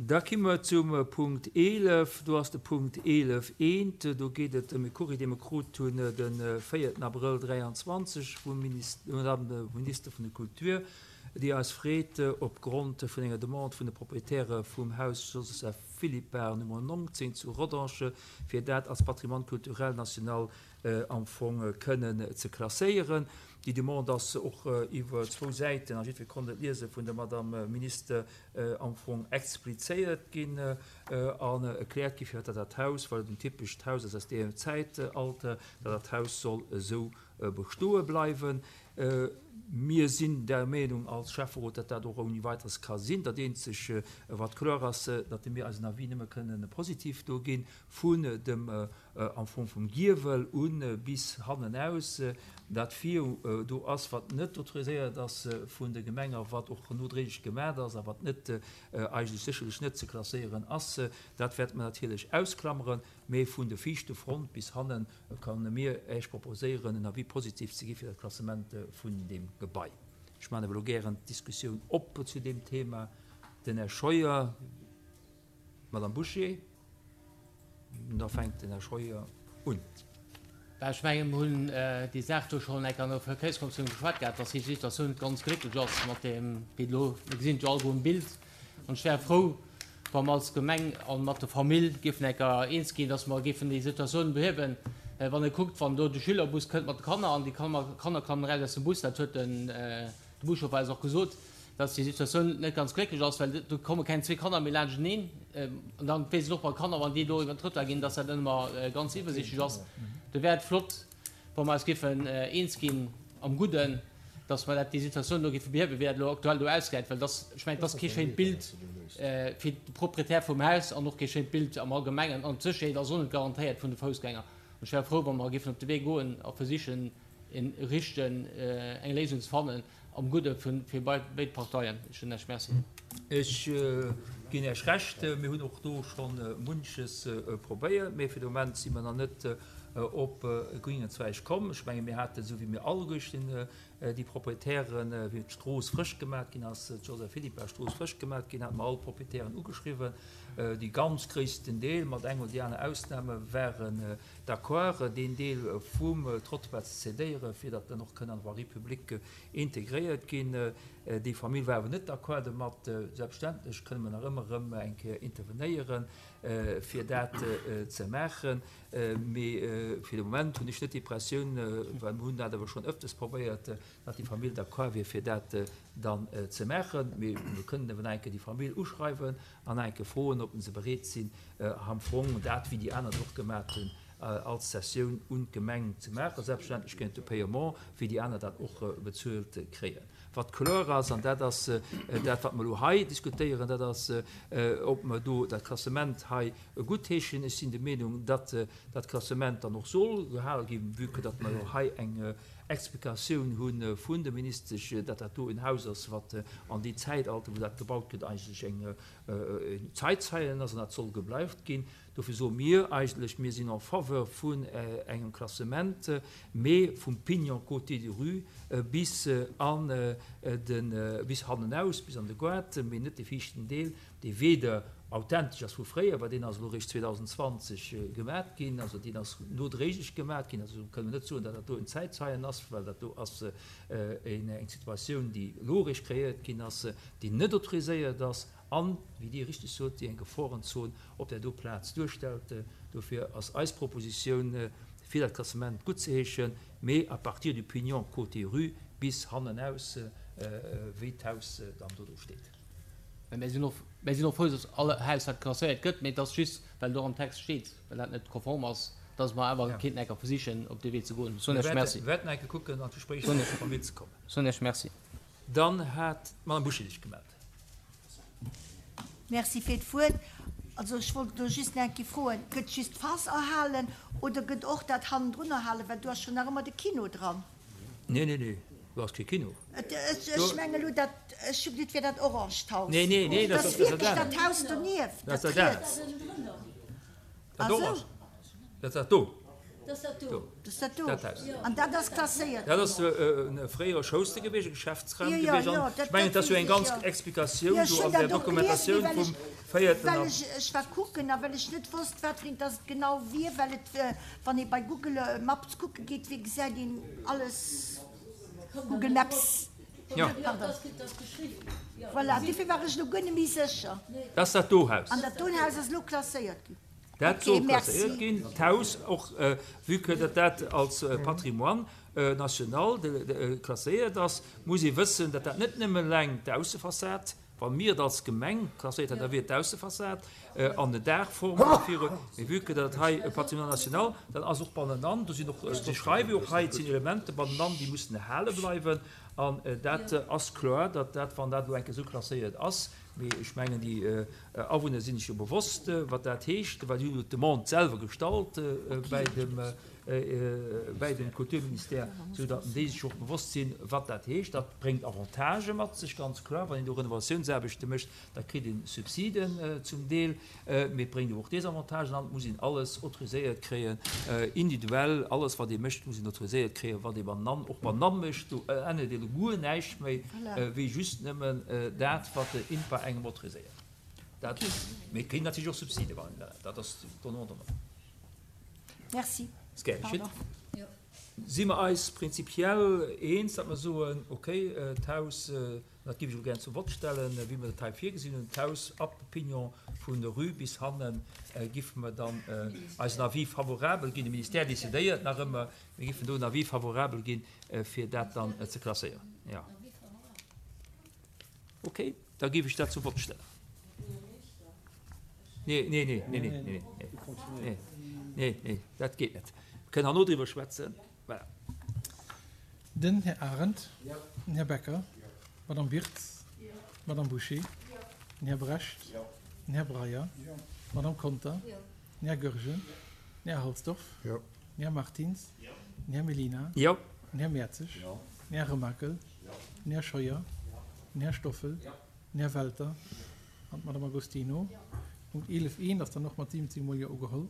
Da ki mer zum Punkt 11. Do ass de Punkt 11 eent. Do geet et ëm e Courrier, dee mer krut hunn de véierten Abrëll 23 vum Madame Minister vun der Kultur, déi eis freet, opgrond vun enger Demande vun de Proprietäre vum Haus Joseph Philippart Nummer 19 zu Rodange, fir dat als Patrimoine culturel national am Fong kënnen ze klasséieren. Déi Demande ass och iwwer zwou Säiten, a jiddwer konnt et liesen, vun der Madame Minister am Fong explizéiert ginn an erkläert ginn, firwat dat Haus, well et en typescht Haus ass aus deem Zäitalter, datt dat Haus soll esou bestoe bleiwen. Mir sinn der Meenung als Schäfferot, datt dat och ouni Weiteres ka sinn. Dat eenzeg, wat kloer ass, datt mir eisen Avis nëmme kënnen positiv do ginn, vun dem am Fong vum Giewel u bis hannenaus, dat vir do ass, wat net autoriséiert ass vun der Gemeng a wat och nodréiglech gemat ass a wat net eigentlech sécherlech net ze klasséieren ass, dat wäerte mer natierlech ausklammeren. Mee vun der viischte Front bis hannen kann mir Äech proposéieren, en Avis positif ze gi fir dat Klassement vun deem Gebai. Ech maachen awer elo gären d'Diskussioun op zu deem Thema. Den Här Scheuer, d'Madame Bouché. Da fänkt den Här Scheuer un. Well ech mengen, mir hunn déi Saach do schonn enk an der Verkéierskommissioun geschwat gehat, dass déi Situatioun net ganz glécklech ass mat deem, wéi et elo, mir gesinn et jo alleguer um Bild. An ech wär frou, wa mer als Gemeng a mat der Famill géifen enker eens ginn, dass mer géifen déi Situatioun behiewen. Wann ee kuckt, wann do de Schülerbus kënnt mat de Kanner an déi Kanner klammen eraus aus dem Bus, dat huet den Buschauffer eis och gesot, dass déi Situatioun net ganz glécklech ass, well do komme keng zwee Kanner méi laanschteneen. An dann weess een och bei Kanner, wann déi do iwwer den Trottoir ginn, dass dat net ëmmer ganz iwwersichtlech ass. Do wär et flott, wa mer eis géifen eens ginn am Gudden, dass mer dat, déi Situatioun do géife behiewen, wéi dat elo aktuell do ausgesäit, well dass, ech mengen, et ass kee schéint Bild fir de Proprietär vum Haus an och kee schéint Bild am Allgemengen. An d'Sécherheet ass och net garantéiert vun de Foussgänger. An ech wär frou, wa mer géifen op de Wee goen a versichen, en richten, eng Léisung ze fannen, Am Gudde fir béid Parteien. Ech soen Iech Merci. Ech ginn Iech Recht. Mir hunn och do scho munches probéiert, mee fir de Moment si mer nach net op e gréngen Zweig komm. Ech menge mir haten, esou wéi mir alleguerten déi Proprietären, wéi d'Strooss frësch gemat ginn ass, d'Joseph-Philippart-Strooss frësch gemat ginn, hate mer all d'Proprietären ugeschriwwen. Dee ganz gréissten Deel, mat eng oder déi aner Ausname, waren d'accord, deen Deel vum Trottoir ze cédéieren, fir datt en och kënn an d'Voirie publique integréiert ginn. Déi Famill war awer net d'accord domat. Selbstverständlech kënne mer nach ëmmer erëm eng Kéier intervenéieren, fir dat ze maachen. Mee fir de Moment hunn ech net d'Impressioun, well mer hunn dat awer schonn ëfters probéiert, datt déi Famill d'accord wier, fir dat dann ze maachen. Mee mir kënnen awer nach eng Kéier déi Famill uschreiwen an nach eng Kéier froen, ob se bereet sinn, am Fong dat, wéi déi aner et och gemat hunn, als Cessioun un d'Gemeng ze maachen, selbstverständlech géint de Paiement, wéi déi aner dat och bezuelt kréien. Wat kloer ass, an dat ass dat, wat mer elo hei diskutéieren, dat ass, ob mer do dat Klassement hei guttheeschen. Ech sinn der Meenung, datt dat Klassement dann och soll gehale ginn, vue que datt mer jo hei eng Explikatioun hu vun der Ministesch, datt dat do en Haus ass, wat an déi Zäitalter, wou dat gebaut gëtt, eigentlech eng Zeitzeilen ass an dat soll gebleift ginn. Dofir soe mir eigentlech, mir sinn en faveur vun engem Klassement, mee vum Pignon côté de rue bis an de, bis hannenaus, bis an de Goart, mee net dee viischten Deel, dee weder authentesch ass vu fréier, well deen ass elo eréischt 2020 gemat ginn, also deen ass nodréiglech gemat ginn, also kënne mer net soen, datt dat do en Zäitzeien ass, well dat do ass eng Situatioun, déi elo eréischt kreéiert ginn ass, déi net autoriséiert ass an, wéi Dir richteg sot, déi eng Geforenzon op där do Plaz duerstellt. Dofir ass eis Propositioun, fir dat Klassement guttzeheeschen, mee à partir du pignon côté rue bis hannenaus, wéi d'Haus dann do do steet. Mä mir sinn och, mir sinn och frou, dass all Haus wat klasséiert gëtt, mee et ass just, well do am Text steet, well dat net konform ass, dass mer awer kéinten enker versichen, op dee Wee ze goen. Soen Iech Merci. Mir wäerten enke kucken, an d'Gespréich mat der Famill ze kommen. Soen Iech Merci. Dann hat d'Madame Bouché sech gemellt. Merci fir d'Wuert. Also ech wollt elo just nach eng Kéier froen, Gëtt just d'Phas erhalen oder gëtt och dat hannendrun erhalen? Well do ass jo nach ëmmer de Kino dran. Nee, nee, nee, do ass kee Kino. Ech mengen elo dat, ech hu geduet, et wier dat oranged Haus. Nee, nee, nee, dat ass wierklech dat Haus donieft, dat riets. Dat orange, dat ass dat do. Do. Dat ass dat do. Dat Haus. An dat ass klasséiert Dat ginn. ass e fréiere Schouste gewiescht, e Geschäftsraum Jo, jo, gewiescht. jo, An dat, ech mengen, dat et ass jo weess eng ech, ganz jo. Explikatioun Jo, ech do hunn an der dat och gelies, mee Dokumentatioun well ech, vum véierten well an. ech, ech war kucken a well ech net wosst, wat fir eent dass et genau wier, well et, wann ee bei Google Maps kucke geet, wéi gesäit een alles, Google Maps, Jo. pardon. Voilà, dofir war ech elo guer net méi sécher. Dat ass dat do Haus. An dat doen Haus ass elo klasséiert ginn. Dat soll klasséiert ginn, d'Haus, och vue que datt dat als Patrimoine national klasséiert ass, muss ee wëssen, datt dat net nëmme eleng d'Aussefassad, wa mir et als Gemeng klasséiert hätten, da wier et d'Aussefassad an den Daachform viru, mee vue que datt et hei e Patrimoine national, dann ass och bannenan, do sinn och, si schreiwe jo och hei, et sinn Elementer bannenan, déi mussen erhale bleiwen an dat ass kloer, datt dat, wann dat elo eng Kéier esou klasséiert ass, Mee ech mengen, déi Awunner sinn sech jo bewosst, wat dat heescht, well si hunn jo d'Demande selwer gestallt bäi dem, bäi dem Kulturministère, esou datt déi sech och bewosst sinn, wat dat heescht. Dat bréngt Avantagë mat sech, ganz kloer. Wann een do Renovatiounsaarbechte mécht, da kritt ee Subsiden zum Deel. Mee et bréngt awer och Desavantagen an, et muss een alles autoriséiert kréien, individuell, alles wat ee mécht, muss een autoriséiert kréien, wat ee bannan, och bannan mécht, do ännert ee guer näischt méi wéi just nëmmen dat, wat den INPA engem autoriséiert. Dat, mee et kritt een natierlech och Subside wann een dat, dat ass donnant donnant. Merci. Ass gär geschitt. Si mer eis prinzipiell eens, datt mer soen, okay, d'Haus, Dat géif ech elo gären zum Vott stellen, wéi mer dat hei virgesinn hunn. D'Haus ab Pignon vun der Rue bis hanne giffe mer dann eisen Avis favorabel ginn. De Ministère decidéiert nach ëmmer. Mir giffen do en Avis favorabel ginn, fir dat dann ze klasséieren. Jo. Okay, da géif ech dat zum Vott stellen. Nee, nee, nee, nee, nee, nee, nee, nee, nee, dat geet net. Mir kënnen herno driwwer schwätzen. Voilà. Den Här Arendt. Den Här Becker. D'Madame Wirtz. D'Madame Bouché. Den Här Brecht. Den Här Breyer. D'Madame Conter. Den Här Goergen. Den Här Halsdorf. Den Här Martins. Den Här Mellina. Den Här Mertzig. Den Här Remakel. Den Här Scheuer. Den Här Stoffel. Den Här Welter an d'Madame Agostino. Punkt 11 I ass dann och mat 17 mol Jo ugeholl.